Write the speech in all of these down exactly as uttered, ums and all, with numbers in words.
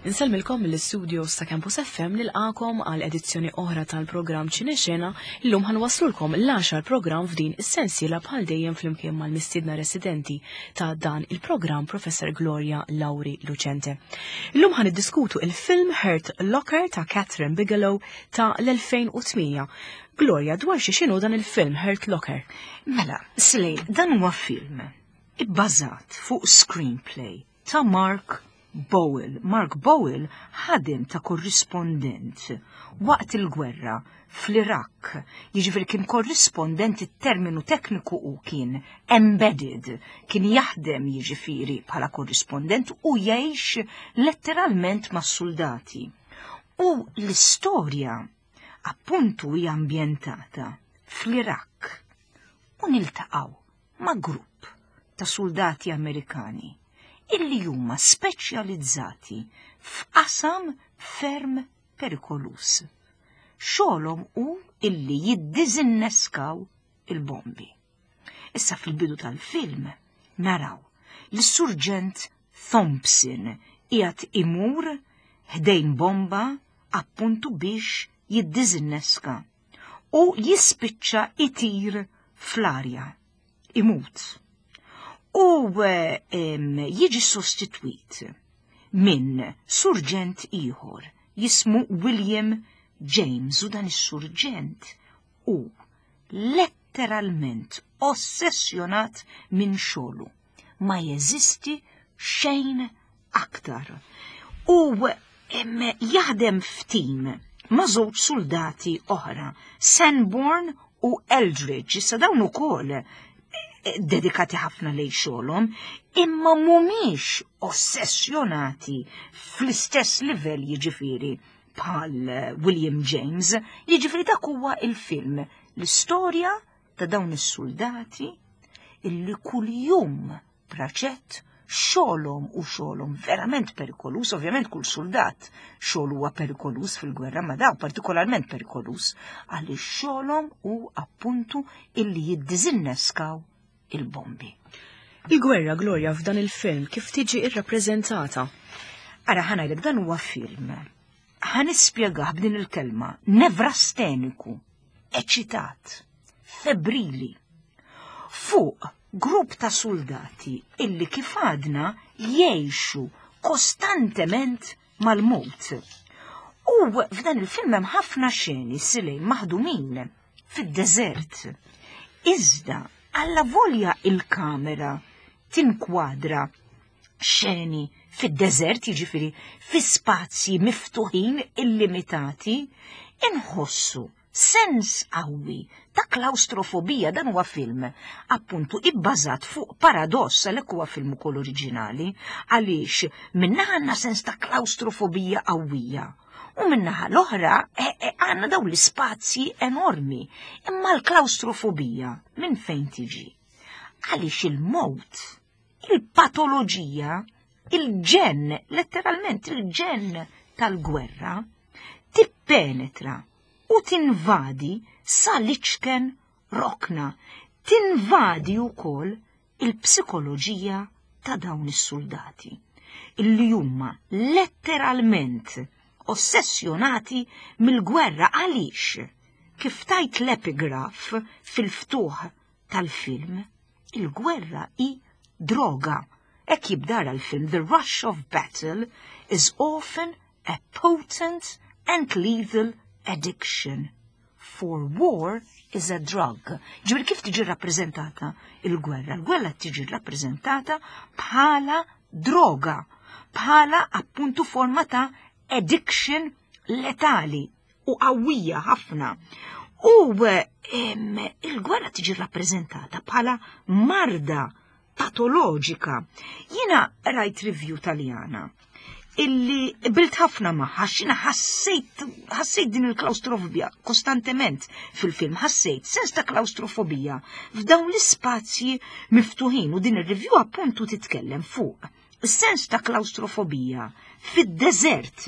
Insellmilkom mill-studios ta' Campus F M, nilqagħkom għal edizzjoni oħra tal-programm Ċinexena. Illum ħa nwasslulkom l-għaxar programm f'din is-sensiela, bħal dejjem flimkien mal-mistiedna residenti ta' dan il-programm, Professor Gloria Lauri Lucente. Illum ħa niddiskutu il-film Hurt Locker ta' Kathryn Bigelow ta' l-elfejn u tmienja. Gloria, dwar xi xinu dan il-film Hurt Locker? Mela, Slej, dan huwa film ibbażat fuq screenplay ta' Mark Boal. Mark Boal ħadem ta' korrispondent waqt il-gwerra fl-Iraq. Jiġifieri kien korrispondent, it-terminu tekniku u kien embedded, kien jaħdem jiġifieri bħala korrispondent u jgħix letteralment mas-soldati. U l-istorja appuntu hija ambjentata fl-Iraq u niltaqgħu ma' grupp ta' soldati Amerikani illi huma speċjalizzati f'qasam ferm perikolus. Xogħolhom hu illi jiddiżinneskaw il-bombi. Issa, fil-bidu tal-film naraw li surġent Thompson qiegħed imur ħdejn bomba appuntu biex jiddiżinneska u jispiċċa itir fl-arja, imut. U jiġi sostitwit minn surġent ieħor jismu William James, u dan is-surġent hu letteralment ossessjonat minn xogħlu. Ma jeżisti xejn aktar. U jaħdem f'tim ma' żewġ soldati oħra, Sanborn u Eldridge. Issa, dawn ukoll dedikati ħafna lej xogħolhom, imma mhumiex ossessjonati fl-istess livell jiġifieri bħal William James. Jiġifieri dak huwa il-film, l-istorja ta' dawn is-soldati illi kuljum praċett xogħolhom u xogħolhom verament perikolus. Ovvjament kull soldat xogħol huwa perikolus fil-gwerra, ma daw partikolarment perikolus għaliex xogħolhom hu appuntu illi jiddiżinneskaw il-bombi. Il-gwerra, Gloria, f'dan il-film kif tiġi irrappreżentata? Ara, ħa ngħidlek, dan huwa film. Ħa nispjegah b'din il-kelma: nevrasteniku, eċitat, febrili. Fuq grupp ta' soldati illi, kif għadna, jgħixu kostantement mal-mot. U f'dan il-film hemm ħafna xeni silej maħdumin fid-deżert. Iżda, alla volja il-kamera tinkwadra xeni fid-deżert, jiġifieri fi spazji miftuħin illimitati, inħossu sens qawwi ta' klaustrofobija. Dan huwa film appuntu ibbażat fuq paradoss, għalhekk huwa film ukoll oriġinali, għaliex minnaħa għandna sens ta' klaustrofobija qawwija u minnaħa l-oħra għandna dawn l-ispazji enormi. Imma l-klaustrofobija minn fejn tiġi? Għaliex il-mowt, il-patoloġija, il-ġen, letteralment il-ġen tal-gwerra, tippenetra u tinvadi sal-iċken rokna, tinvadi wkoll il-psikoloġija ta' dawn is-soldati illi huma letteralment ossessjonati mill-gwerra, għaliex, kif tgħid l-epigraf fil-ftuħ tal-film, il-gwerra hi droga. Hekk jibda l-film: "The rush of battle is often a potent and lethal addiction. For war is a drug." Ġifieri kif tiġi rappreżentata il-gwerra? Il-gwerra tiġi rappreżentata bħala droga, bħala appuntu forma ta' addiction letali u qawwija ħafna. U il-gwerra tiġi rappreżentata bħala marda patoloġika. Jiena rajt review Taljana illi qbilt ħafna magħha. Jiena ħassejt ħassejt din il-klaustrofobija kostantement fil-film, ħassejt sens ta' klaustrofobija f'dawn l-ispazji miftuħin, u din ir-review appuntu titkellem fuq sens ta' klaustrofobija fid-deżert,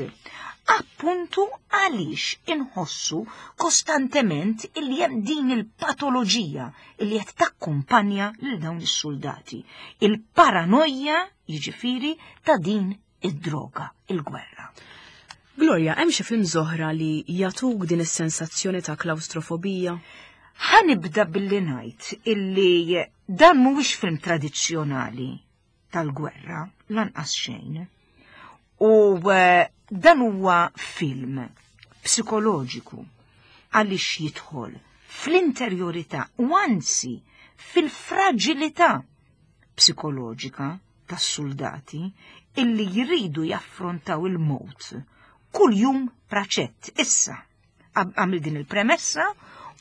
appuntu għaliex inħossu kostantement illi hemm din il-patoloġija illi qed takkumpanja lil dawn is-soldati. Il-paranoja jiġifieri ta' din id-droga, il-gwerra. Gloria, hemm xi film oħra li jagħtuk din is-sensazzjoni ta' klaustrofobija? Ħa nibda billi ngħid illi dan mhuwiex film tradizzjonali tal-gwerra, lanqas xejn. U eh, dan huwa film psikoloġiku għaliex jidħol fl-interjorità u anzi fil-fragilità psikoloġika tas-soldati illi jridu jaffrontaw il-mowt kull jum praċett. Issa, għamil din il-premessa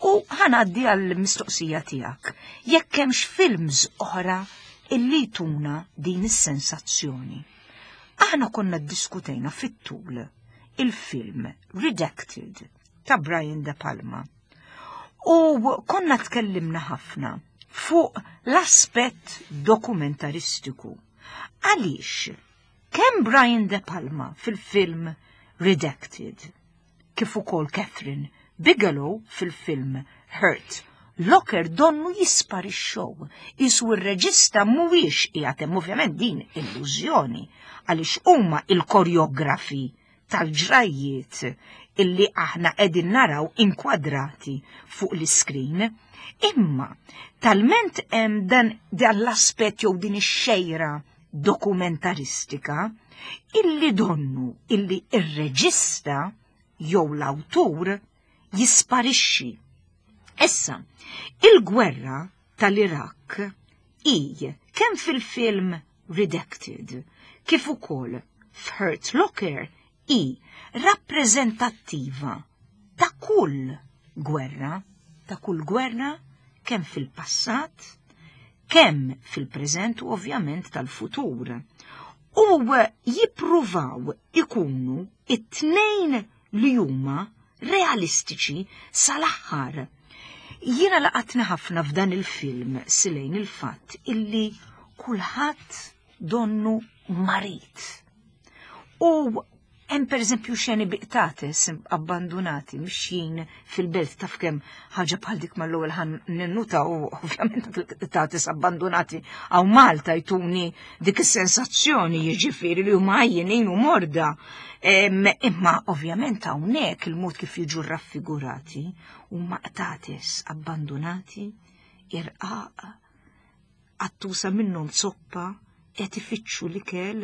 u ħa ngħaddi għall-mistoqsija tiegħek. Jekk hemmx films oħra illi tuna din is-sensazzjoni. Aħna konna ddiskutejna fit-tul il-film Redacted ta' Brian De Palma. U konna tkellimna ħafna fuq l-aspett dokumentaristiku. Għaliex, kemm Brian De Palma fil-film Redacted, kif ukoll Kathryn Bigelow fil-film Hurt Locker donnu jisparixxow, qisu r-reġista mhuwiex qiegħed hemm, ovvjament din illużjoni għaliex huma il-koreografi tal-ġrajiet illi aħna qegħdin naraw inkwadrati fuq l-iskrin. Imma talment hemm dan, dan l-aspett jew din ix-xejra dokumentaristika illi donnu illi ir-reġista jew l-awtur jisparixxi. Issa, il-gwerra tal-Iraq i kemm fil-film Redacted kif ukoll f'Hurt Locker i rappreżentattiva ta' kull gwerra, ta' kull gwerra kemm fil-passat, kemm fil-preżent u ovvjament tal-futur. U jippruvaw ikunu it-tnejn li huma realistiċi sal-aħħar. Jiena laqatni ħafna f'dan il-film silejn il-fatt illi kulħadd donnu marid. U hemm pereżempju xeni bi qtates abbandunati mixjin fil-belt, taf kemm ħaġa bħal dik mal-ewwel ħan ninnuta u ovvjament qtates abbandunati għaw Malta jtuni dik is-sensazzjoni, jiġifieri li huma għajjenin u morda. Imma ovvjament hawnhekk il-mod kif jiġu raffigurati huma qtates abbandunati, irqaq, qattusa minnhom zoppa, qed ifittxu l-ikel,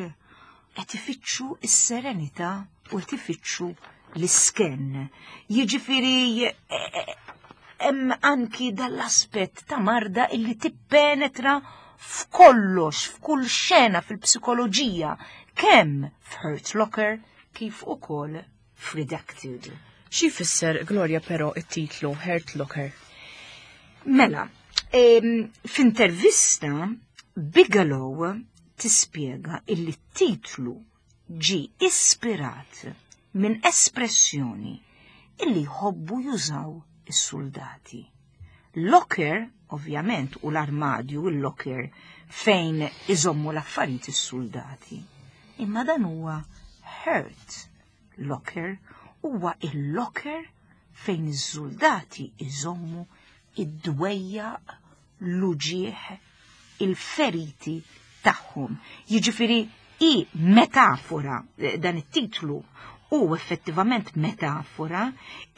qed ifittxu s-serenità u qed ifittxu l-isken. Jiġifieri hemm anki dal-aspett ta' marda illi tippenetra f'kollox, f'kull xena fil-psikoloġija, kemm f'Hurt Locker kif ukoll f'Redacted. Xi jfisser, Gloria, però it-titlu Hurt Locker? Mela, f'intervista Bigelow tispjega illi t-titlu ġi ispirat minn espressjoni illi jħobbu jużaw is-soldati. Locker, ovvjament, u l-armadju, il-locker fejn iżommu l-affarijiet is-soldati. Imma dan huwa Hurt Locker, huwa il-locker fejn iż-soldati iżommu id-dwejjaq, l-uġieħ, il-feriti tagħhom. Jiġifieri i metafora, dan it-titlu u effettivament metafora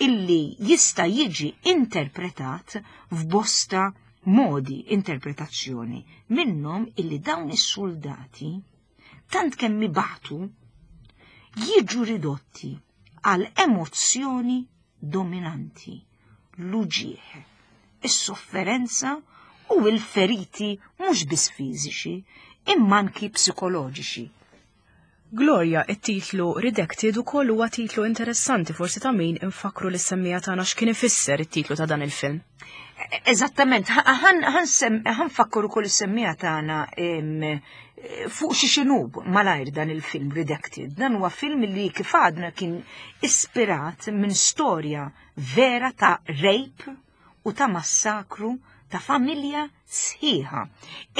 illi jista' jiġi interpretat f'bosta modi interpretazzjoni minnhom illi dawn is-soldati tant kemm ibatu jiġu ridotti għal emozzjoni dominanti, l-uġieħ, is-sofferenza u l-feriti mhux biss fiżiċi imma anki psikoloġiċi. Gloria, it-titlu Redacted ukoll huwa titlu interessanti, forsi ta' min infakru lis-semmiegħa tagħna x'kien ifisser it-titlu ta' dan il-film. Eżattament, ħa nfakkru ukoll is-semmiegħa tagħna fuq xi xinu malajr dan il-film Redacted. Dan huwa film li kif għadna kien ispirat minn storja vera ta' rape u ta' massakru ta' familja sħiħa.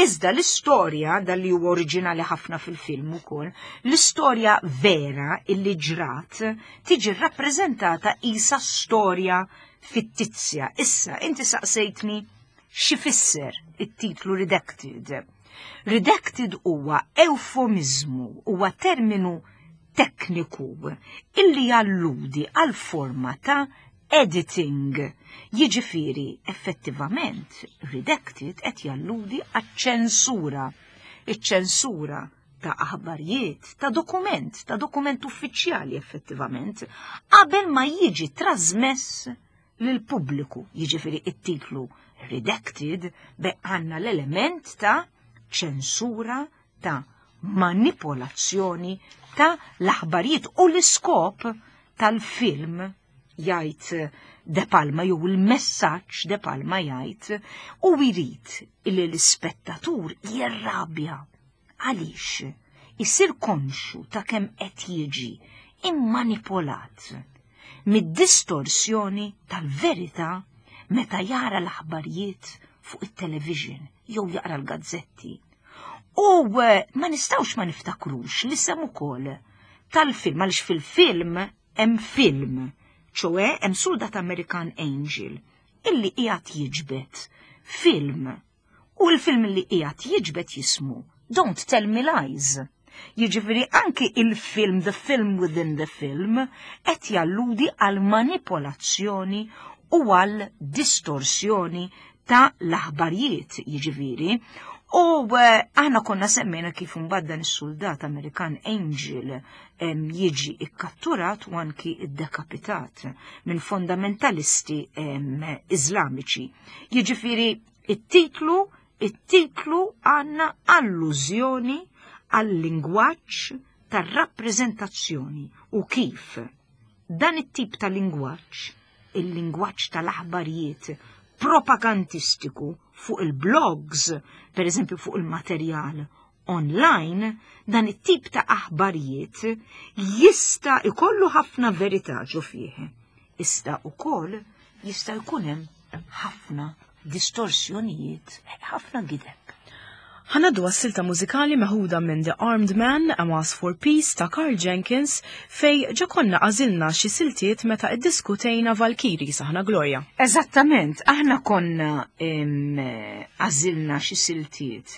Iżda l-istorja, dal li huwa oriġinali ħafna fil-film ukoll, l-istorja vera illi ġrat tiġi rappreżentata isa storja fittizja. Issa, inti saqsejtni x'ifisser it-titlu Redacted. Redacted huwa eufemizmu, huwa terminu tekniku illi jalludi għal forma ta' editing. Jiġifieri effettivament redacted qed jalludi għaċ-ċensura. Iċ-ċensura ta' aħbarijiet, ta' dokument, ta' dokument uffiċjali effettivament, qabel ma jiġi trasmess lill-pubbliku. Jiġifieri it-titlu redacted be għandna l-element ta' ċensura, ta' manipolazzjoni ta' l-aħbarijiet u l-iskop tal-film jgħid De Palma, jew il-messaġġ De Palma jgħid, u jrid li l-ispettatur jirrabja għaliex isir konxu ta' kemm qed jiġi immanipolat mid-distorsjoni tal-verità meta jara l-aħbarijiet fuq it-television jew jaqra l-gazzetti. U ma nistgħux ma niftakrux li sem ukoll tal-film, għaliex fil-film hemm film, ċoe hemm soldat American Angel illi qiegħed jiġbed film, u l-film li qiegħed jiġbed jismu Don't Tell Me Lies. Jiġifieri anki il-film, the film within the film, qed jalludi għal manipolazzjoni u għal distorsjoni ta' l-aħbarijiet, jiġifieri. U aħna konna semmejna kif imbagħad dan is-soldat American Angel jiġi ikkatturat u anki iddekapitat minn fondamentalisti Iżlamiċi. Jiġifieri it-titlu it-titlu għandna allużjoni għal-lingwaġġ tar-rappreżentazzjoni u kif dan it-tip ta' lingwaġġ, il-lingwaġġ tal-aħbarijiet propagandistiku fuq il-blogs, per eżempju fuq il-materjal online, dan it-tip ta' aħbarijiet jista' ikollu ħafna verità ġo fih. Ista' ukoll jista' jkun hemm ħafna distorsjonijiet, ħafna gideb. Ħanaddu għas-silta mużikali meħuda minn The Armed Man, A Mass for Peace ta' Karl Jenkins, fej ġa konna għażilna xi siltiet meta iddiskutejna Valkyrie saħna Gloria. Eżattament, aħna konna għażilna xi siltiet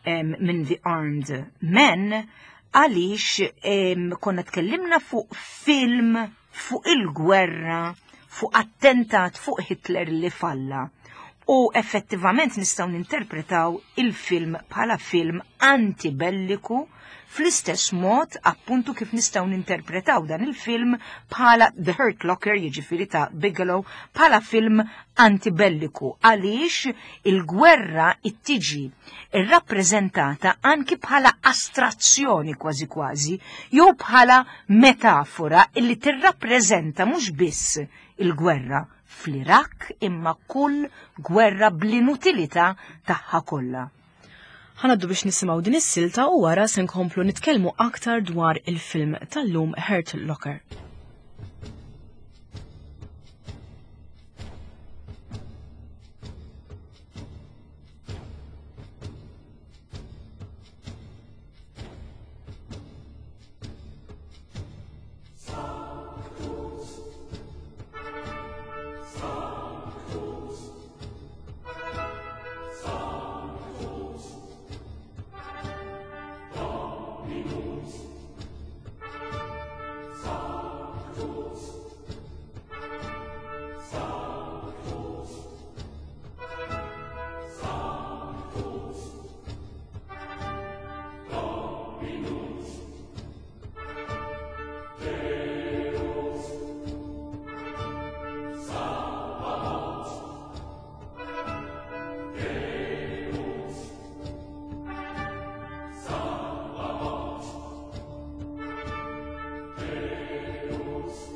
minn The Armed Man għaliex konna tkellimna fuq film fuq il-gwerra, fuq attentat fuq Hitler li falla. U effettivament nistgħu ninterpretaw il-film bħala film antibelliku fl-istess mod appuntu kif nistgħu ninterpretaw dan il-film bħala The Hurt Locker, jiġifieri ta' Bigelow, bħala film antibelliku għaliex il-gwerra ittiġi irrappreżentata anki bħala astrazzjoni kważi kważi jew bħala metafora illi tirrappreżenta mhux biss il-gwerra fl-Irak imma kull gwerra bl-inutilità tagħha kollha. Ħanaddu biex nisimgħu din is-silta u wara se nkomplu nitkellmu aktar dwar il-film tal-lum Hurt Locker. Deus.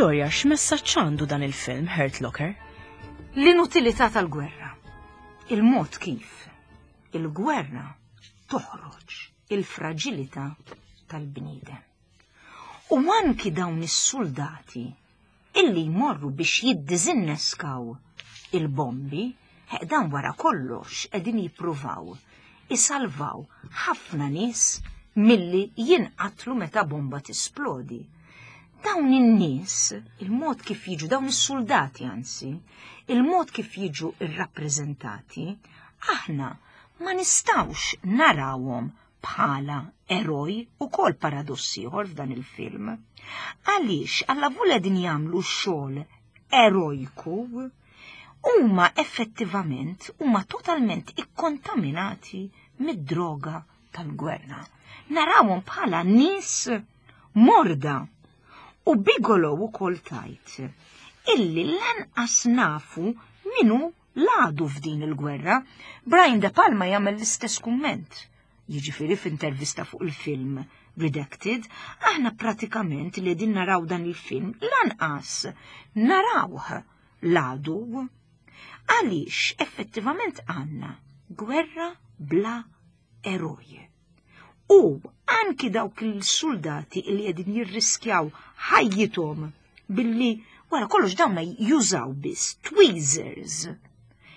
Gloria, x'messaġġ għandu dan il-film Hurt Locker? L-inutilità tal-gwerra. Il-mod kif il-gwerra toħroġ il-fraġilità tal-bniedem. U anki dawn is-soldati illi jmorru biex jiddiżinneskaw il-bombi, dan wara kollox qegħdin jippruvaw isalvaw ħafna nies milli jinqatlu meta bomba tisplodi. Dawn in-nies, il-mod kif jiġu, dawn is-soldati anzi, il-mod kif jiġu irrappreżentati, aħna ma nistawx narawhom bħala eroj u kol paradossi ieħor f'dan il-film. Għaliex alla din jagħmlu xogħol erojku, huma effettivament huma totalment ikkontaminati mid-droga tal-gwerra. Narawhom bħala nies morda. U Bigelow ukoll tajt illi lanqas nafu minu l-għadu f'din il-gwerra. Brian De Palma jagħmel l-istess kumment. Jiġifieri f'intervista fuq il-film Redacted, aħna pratikament li din naraw dan il-film lanqas narawh l-għadu. Għaliex effettivament għandna gwerra bla eroj. U anki dawk il-soldati li qegħdin jirriskjaw ħajjithom billi wara kollox dawna jużaw biss tweezers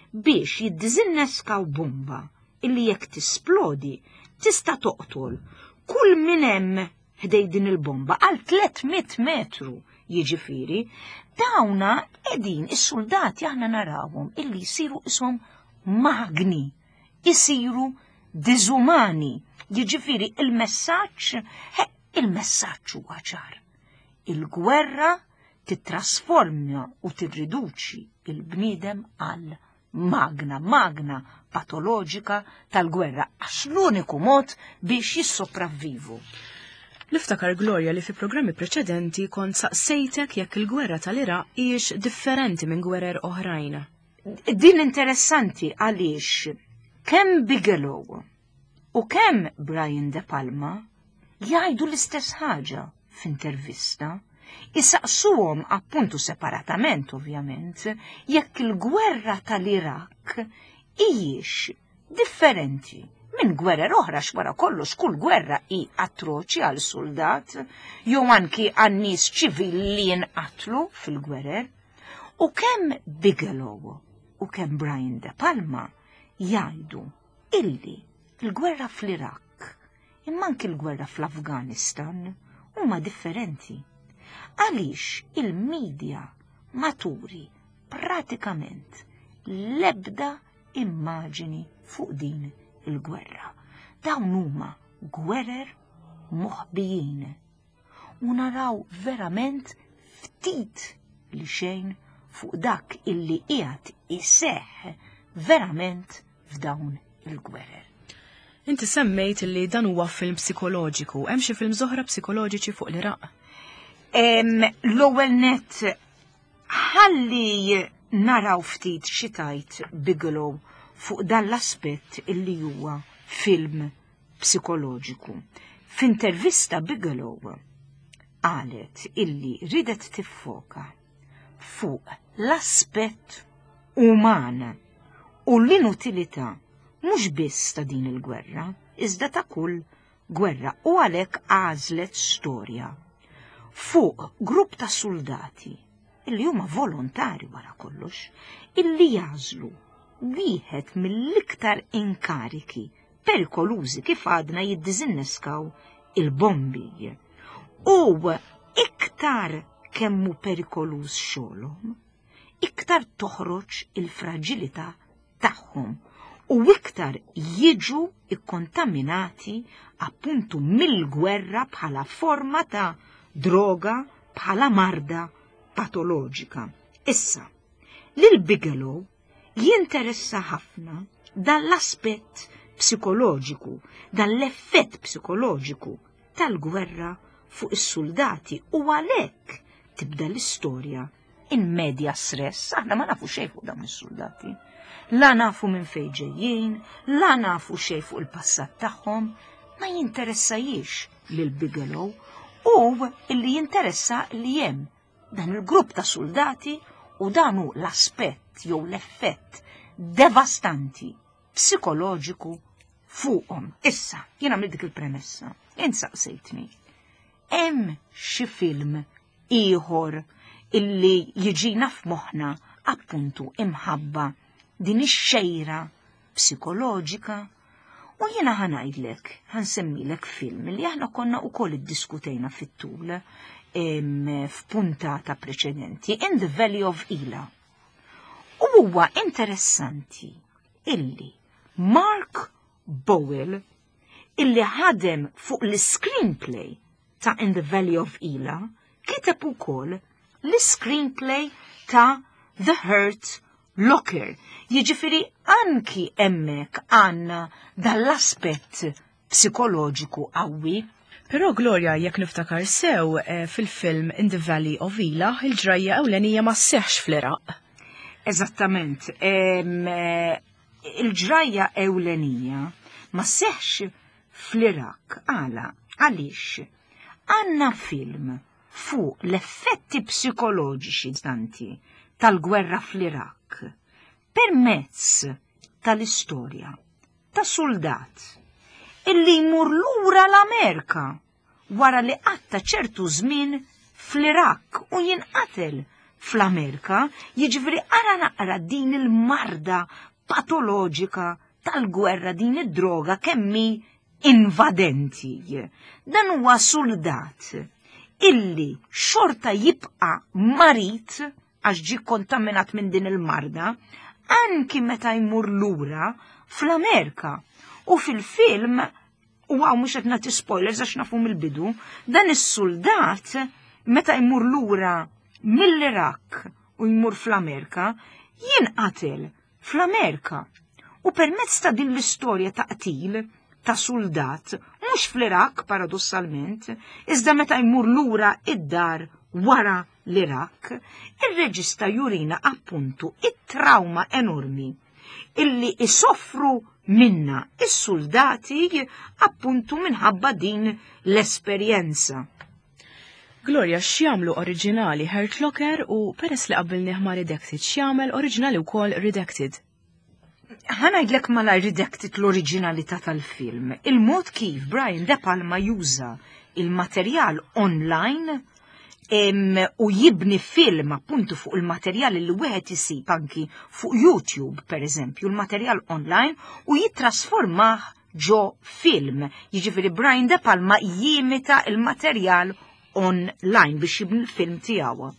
biex jiddiżinneskaw bomba illi jekk tisplodi tista' toqtol kull min hemm ħdej din il-bomba għal tliet mitt metru. Jiġifieri dawna qegħdin is-soldati aħna narawhom illi jsiru ishom magni, isiru diżumani. Jiġifieri il-messaġġ, il-messaġġ huwa ċar. Il-gwerra titrasforma u tirriduċi il-bniedem għal magna, magna patoloġika tal-gwerra, għax l-uniku mod biex jissopravvivu. Niftakar, Gloria, li fi programmi preċedenti kont saqsejtek jekk il-gwerra tal-Iraq hijiex differenti minn gwerer oħrajn. Din interessanti għaliex kemm Bigelow u kemm Brian De Palma jgħidu l-istess ħaġa f'intervista, isaqsuhom appuntu separatament ovvjament jekk il-gwerra tal-Iraq hijiex differenti minn gwerer oħra, x'wara kollox kull gwerra hi atroċi għal soldat jew anki għan nies ċivili li jinqatlu fil-gwerer. U kemm Bigelow u kemm Brian De Palma jgħidu illi il-gwerra fl-Iraq imma anki l-gwerra fl-Afganistan huma differenti. Għaliex il-medja maturi pratikament l-ebda immaġini fuq din il-gwerra. Dawn huma gwerer moħbijin u naraw verament ftit li xejn fuq dak illi qiegħed iseħħ verament f'dawn il-gwerer. Inti semmejt li dan huwa film psikoloġiku. Hemm xi film oħra psikoloġiċi fuq l-Iraq? L-ewwel net ħalli naraw ftit xi tajt Bigelow fuq dan l-aspett illi huwa film psikoloġiku. F'intervista Bigelow qalet illi ridet tiffoka fuq l-aspett uman u l-inutilità mhux biss ta' din il-gwerra, iżda ta' kull gwerra, u għalhekk għażlet storja fuq grupp ta' soldati illi huma volontari wara kollox, illi jażlu wieħed mill-iktar inkariki perikolużi kif għadna jiddiżinneskaw il-bombi. U iktar kemmu perikoluż xogħolhom, iktar toħroġ il-fraġilità tagħhom u iktar jiġu ikkontaminati appuntu mill-gwerra bħala forma ta' droga, bħala marda patoloġika. Issa, lil Bigelow jinteressa ħafna dan l-aspett psikoloġiku, dan l-effett psikoloġiku tal-gwerra fuq is-soldati, u għalhekk tibda l-istorja in media stress. Aħna ma nafu xejn fuq dawn is-soldati. La nafu minn fejn ġejjin, la nafu xejn fuq il-passat tagħhom, ma jinteressajiex lil Bigelow, u illi jinteressa li hemm Dan il-grupp ta' soldati u dan hu l-aspett jew l-effett devastanti psikoloġiku fuqhom. Issa, jiena għamilt dik il-premessa, int saqsejtni. Hemm xi film ieħor illi jiġina f'moħħna appuntu imħabba din ix-xejra psikoloġika? U jiena ħa ngħidlek, ħa nsemmilek film li aħna konna ukoll iddiskutejna fit-tul f'puntata preċedenti, In the Valley of Elah. U huwa interessanti illi Mark Boal, illi ħadem fuq l-screenplay ta' In the Valley of Elah, kiteb ukoll l-screenplay ta' The Hurt Locker. Jiġifieri anki hemmhekk għandna dal-aspett psikoloġiku qawwi. Però Gloria, jekk niftakar sew, eh, fil-film In the Valley of Elah, il-ġrajja ewlenija ma sseħħx fl-Iraq. Eżattament. Eh, il-ġrajja ewlenija ma sseħħx fl-Iraq. Għala, għaliex? Għandna film fuq l-effetti psikoloġiċi tanti tal-gwerra fl-Iraq permezz tal-istorja ta' soldat illi jmur lura l-Amerika wara li qatta ċertu żmien fl-Iraq u jinqatel fl-Amerika, jiġifieri ara naqra din il-marda patoloġika tal-gwerra, din id-droga kemm hi invadenti. Dan huwa soldat illi xorta jibqa' marid għax ġi kontaminat minn din il-marda anki meta jmur lura fl-Amerika. U fil-film, u hawn mhux qed nagħti spoilers għax nafu mill-bidu, dan is-soldat meta jmur lura mill-Iraq u jmur fl-Amerika, jinqatel fl-Amerika. U permezz ta' din l-istorja ta' qtil ta' soldat, mhux fl-Iraq paradossalment, iżda meta jmur lura id-dar wara l-Iraq, ir-reġista jurina appuntu it-trauma enormi illi isoffru minna is-soldati appuntu minħabba din l-esperjenza. Gloria, x'jagħmlu oriġinali Hurt Locker u peress li qabbilnieh ma' Redacted, x'jagħmel oriġinali wkoll Redacted? Ħa ngħidlek mela Redacted l-oriġinalità tal-film. Il-mod kif Brian De Palma juża il-materjal online em, u jibni film appuntu fuq il-materjal li wieħed isib anki fuq YouTube, per eżempju, il-materjal online u jittrasformah ġo film. Jiġifieri Brian De Palma jimita il-materjal online biex jibni l-film tiegħu.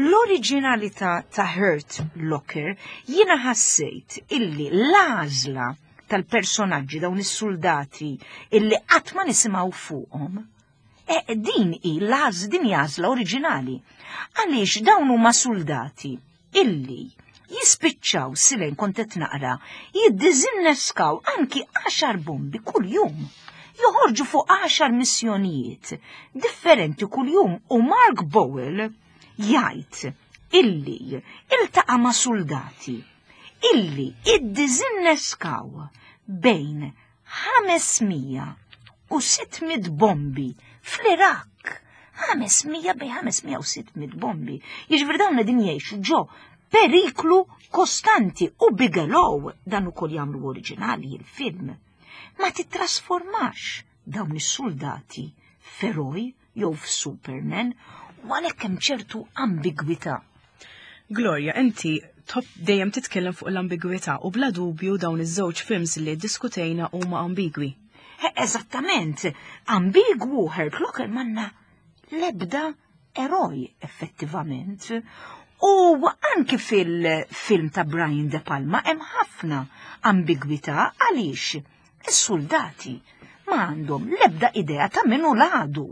L-oriġinalità ta' Hurt Locker, jiena ħassejt illi l-għażla tal-personaġġi, dawn is-soldati illi qatt ma nisimgħu fuqhom, e, din hi l-għaż din għażla oriġinali. Għaliex dawn huma soldati illi jispiċċaw silen kont qed naqra jiddiżinneskaw anki għaxar bombi kull-jum. Joħorġu fuq għaxar missjonijiet differenti kull-jum u Mark Boal jgħid illi iltaqa' ma' soldati illi iddiżinneskaw bejn ħames mija u sitt mitt bombi fl-Iraq. ħames mija, bejn ħames mija u sitt mitt bombi. Jiġifieri dawn qegħdin jgħixu ġo periklu kostanti u Bigelow dan ukoll jagħmlu oriġinali il-film. Ma titrasformax dawn is-soldati f'eroj jew f'Superman u għalhekk hemm ċertu ambigwità. Gloria, inti top dejjem titkellem fuq l-ambigwità u bla dubju dawn iż-żewġ films li diskutejna huma ambigwi. Eżattament, ambigwu Hurt Locker, m'għandna lebda eroj effettivament. U anki fil-film ta' Brian De Palma hemm ħafna ambigwità għaliex is-soldati ma għandhom lebda idea ta' min hu l-għadu.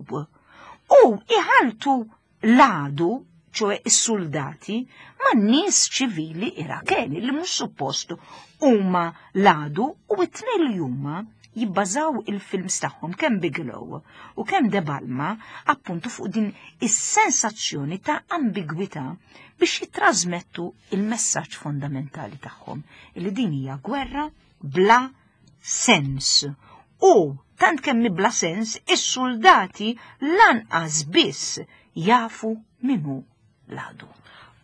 U iħaltu l-għadu, ċoè is-soldati, ma' nies ċivili Irakeni li mhux suppost huma l-għadu u it-tnejn li huma jibbażaw il-films tagħhom, kemm Bigelow u kemm De Palma, appuntu fuq din is-sensazzjoni ta' ambigwità biex jitrasmettu il-messaġġ fondamentali tagħhom li din hija gwerra bla sens. U tant kemm bla sens, is-soldati lanqas biss jafu min hu l-għadu.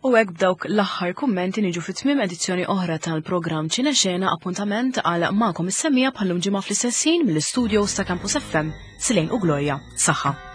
U hekk b'dawk l-aħħar kummenti niġu fi tmiem edizzjoni oħra tal-programm Ċinexena, appuntament għal magħkom is-semmiegħa bħal-lum ġimgħa fl-istess ħin mill-istudios ta' Campus F M. Silejn u Gloria. Saħħa.